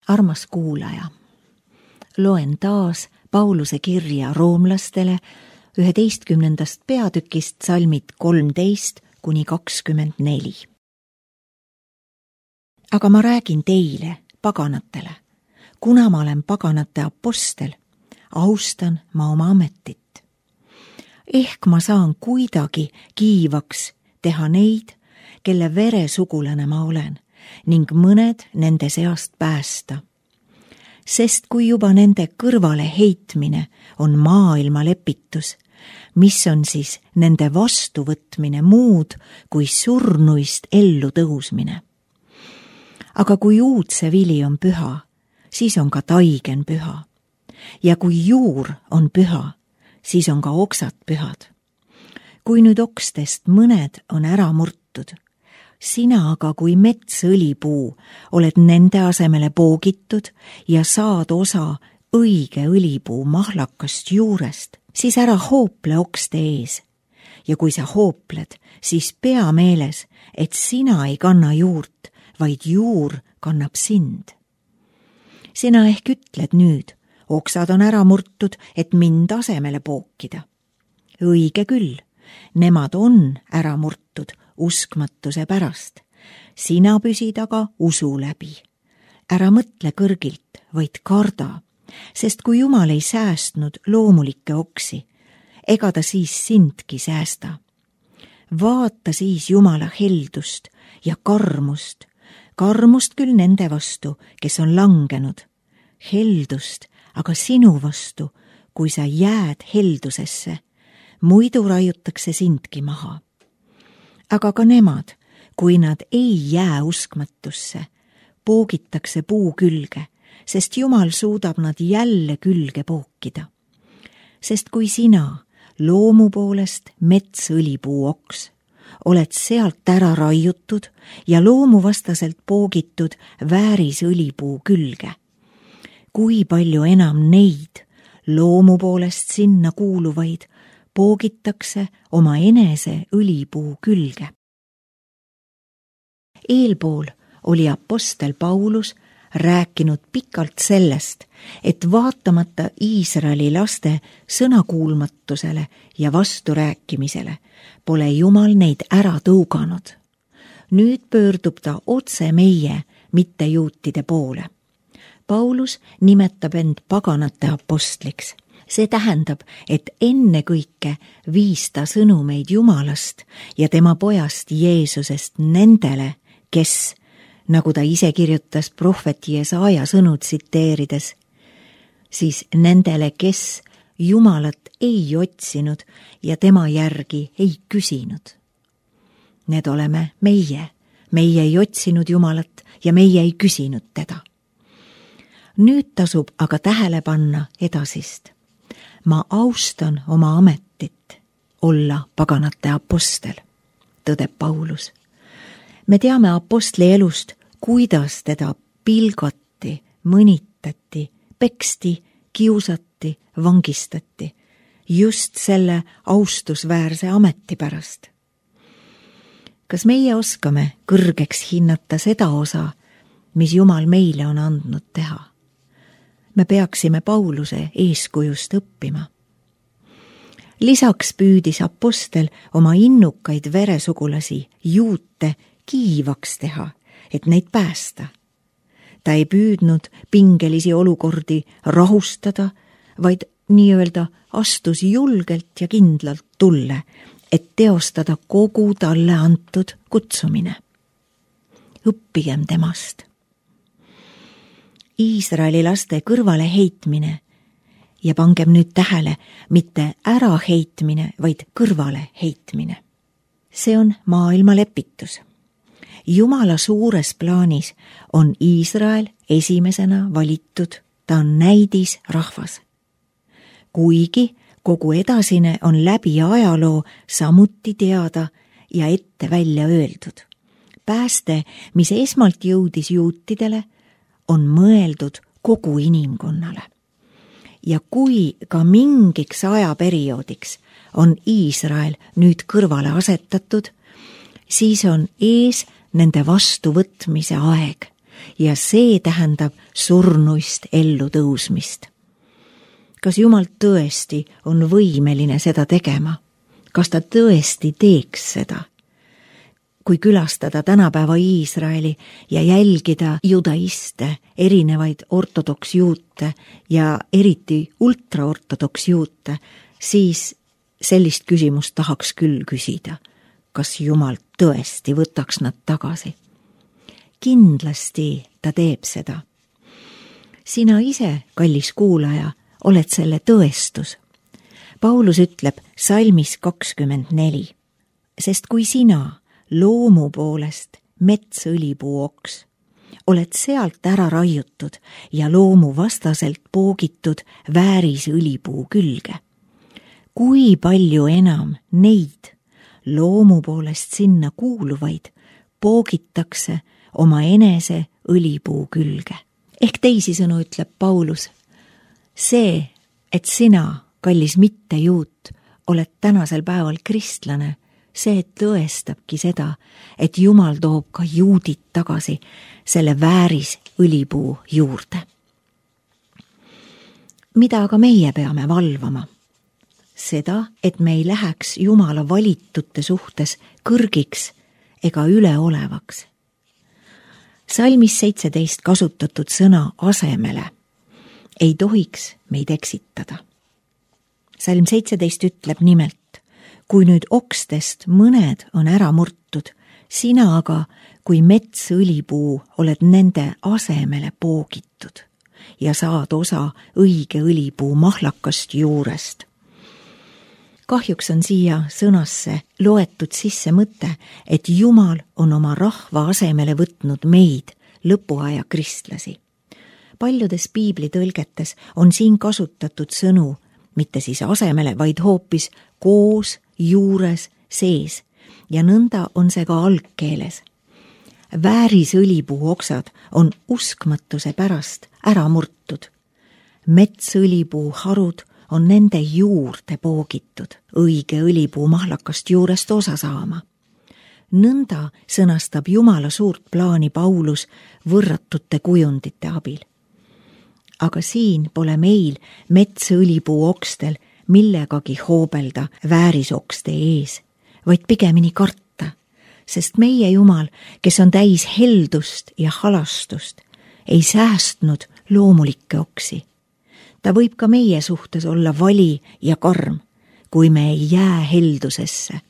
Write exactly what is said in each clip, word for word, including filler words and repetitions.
Armas kuulaja, loen taas Pauluse kirja roomlastele üheteistkümnendast peatükist salmid kolmteist kuni kakskümmend neli. Aga ma räägin teile, paganatele, kuna ma olen paganate apostel, austan ma oma ametit. Ehk ma saan kuidagi kiivaks teha neid, kelle veresugulane ma olen, ning mõned nende seast päästa. Sest kui juba nende kõrvale heitmine on maailma lepitus, mis on siis nende vastuvõtmine muud kui surnuist ellu tõusmine. Aga kui uudse vili on püha, siis on ka taigen püha. Ja kui juur on püha, siis on ka oksad pühad. Kui nüüd okstest mõned on ära murtud, sina aga kui metsõlipuu oled nende asemele poogitud ja saad osa õige õlipuu mahlakast juurest, siis ära hoople okste ees. Ja kui sa hoopled, siis pea meeles, et sina ei kanna juurt, vaid juur kannab sind. Sina ehk ütled nüüd, oksad on ära murtud, et mind asemele pookida. Õige küll, nemad on ära murtud uskmatuse pärast. Sina püsid aga usu läbi. Ära mõtle kõrgilt, vaid karda, sest kui Jumal ei säästnud loomulikke oksi, ega ta siis sindki säästa. Vaata siis Jumala heldust ja karmust, karmust küll nende vastu, kes on langenud, heldust aga sinu vastu, kui sa jääd heldusesse, muidu raiutakse sindki maha. Aga ka nemad, kui nad ei jää uskmatusse, poogitakse puu külge, sest Jumal suudab nad jälle külge pookida. Sest kui sina, loomu poolest metsõlipuu oks, oled sealt ära raiutud ja loomuvastaselt poogitud vääris õlipuu külge, kui palju enam neid, loomu poolest sinna kuuluvaid, poogitakse oma enese õlipuu külge. Eelpool oli apostel Paulus rääkinud pikalt sellest, et vaatamata Iisraeli laste sõnakuulmatusele ja vasturääkimisele pole Jumal neid ära tõuganud. Nüüd pöördub ta otse meie, mitte juutide poole. Paulus nimetab end paganate apostliks. See tähendab, et ennekõike viis ta sõnumeid Jumalast ja tema pojast Jeesusest nendele, kes, nagu ta ise kirjutas prohvet Jesaja sõnu tsiteerides, siis nendele, kes Jumalat ei otsinud ja tema järgi ei küsinud. Need oleme meie, meie ei otsinud Jumalat ja meie ei küsinud teda. Nüüd tasub aga tähele panna edasist. Ma austan oma ametit olla paganate apostel, tõdeb Paulus. Me teame apostli elust, kuidas teda pilgati, mõnitati, peksti, kiusati, vangistati, just selle austusväärse ameti pärast. Kas meie oskame kõrgeks hinnata seda osa, mis Jumal meile on andnud teha? Me peaksime Pauluse eeskujust õppima. Lisaks püüdis apostel oma innukaid veresugulasi juute kiivaks teha, et neid päästa. Ta ei püüdnud pingelisi olukordi rahustada, vaid nii-öelda astus julgelt ja kindlalt tulle, et teostada kogu talle antud kutsumine. Õppigem temast. Iisraeli laste kõrvale heitmine ja pangem nüüd tähele, mitte ära heitmine, vaid kõrvale heitmine. See on maailma lepitus. Jumala suures plaanis on Iisrael esimesena valitud, ta on näidis rahvas. Kuigi kogu edasine on läbi ajaloo samuti teada ja ette välja öeldud. Pääste, mis esmalt jõudis juutidele, on mõeldud kogu inimkonnale. Ja kui ka mingiks ajaperioodiks on Iisrael nüüd kõrvale asetatud, siis on ees nende vastuvõtmise aeg, ja see tähendab surnuist ellu tõusmist. Kas Jumal tõesti on võimeline seda tegema? Kas ta tõesti teeks seda? Kui külastada tänapäeva Iisraeli ja jälgida judaiste, erinevaid ortodoksjuute ja eriti ultraortodoksjuute, siis sellist küsimust tahaks küll küsida. Kas Jumal tõesti võtaks nad tagasi? Kindlasti ta teeb seda. Sina ise, kallis kuulaja, oled selle tõestus. Paulus ütleb salmis kakskümmend neli, sest kui sina loomu poolest metsõlipuu oks, oled sealt ära raiutud ja loomu vastaselt poogitud vääris õlipuu külge. Kui palju enam neid loomu poolest sinna kuuluvaid poogitakse oma enese õlipuu külge. Ehk teisisõnu ütleb Paulus, see, et sina, kallis mittejuut, oled tänasel päeval kristlane, see tõestabki seda, et Jumal toob ka juudid tagasi selle vääris õlipuu juurde. Mida aga meie peame valvama? Seda, et me ei läheks Jumala valitute suhtes kõrgiks ega üleolevaks. Salmis seitseteist kasutatud sõna asemele ei tohiks meid eksitada. Salm seitseteist ütleb nimelt, kui nüüd okstest mõned on ära murtud, sina aga, kui metsõlipuu, oled nende asemele poogitud ja saad osa õige õlipuu mahlakast juurest. Kahjuks on siia sõnasse loetud sisse mõte, et Jumal on oma rahva asemele võtnud meid, lõpuaja kristlasi. Paljudes piibli tõlgetes on siin kasutatud sõnu, mitte siis asemele, vaid hoopis koos, juures, sees ja nõnda on see ka algkeeles. Vääris õlipuu oksad on uskmatuse pärast ära murtud. Metsõlipuu harud on nende juurde poogitud, õige õlipuu mahlakast juurest osa saama. Nõnda sõnastab Jumala suurt plaani Paulus võrratute kujundite abil. Aga siin pole meil metsõlipuu okstel millegagi hoobelda väärisokste ees, vaid pigemini karta, sest meie Jumal, kes on täis heldust ja halastust, ei säästnud loomulikke oksi. Ta võib ka meie suhtes olla vali ja karm, kui me ei jää heldusesse.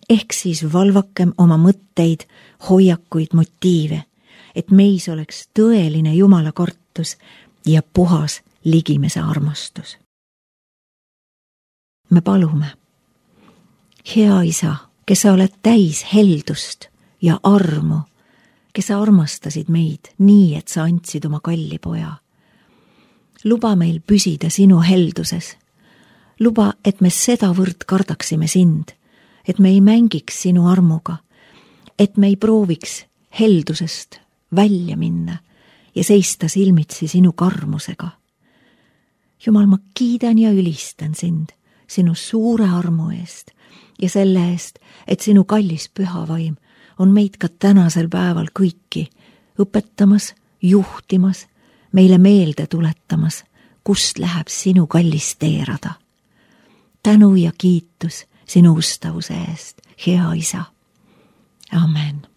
Ehk siis valvakem oma mõtteid, hoiakuid, motiive, et meis oleks tõeline Jumala kartus ja puhas ligimese armastus. Me palume, hea Isa, kes sa oled täis heldust ja armu, kes sa armastasid meid nii, et sa andsid oma kalli poja. Luba meil püsida sinu helduses. Luba, et me sedavõrd kardaksime sind, et me ei mängiks sinu armuga, et me ei prooviks heldusest välja minna ja seista silmitsi sinu karmusega. Jumal, ma kiidan ja ülistan sind sinu suure armu eest ja selle eest, et sinu kallis püha vaim on meid ka tänasel päeval kõiki õpetamas, juhtimas, meile meelde tuletamas, kust läheb sinu kallis teerada. Tänu ja kiitus sinu ustavuse eest, hea Isa. Amen.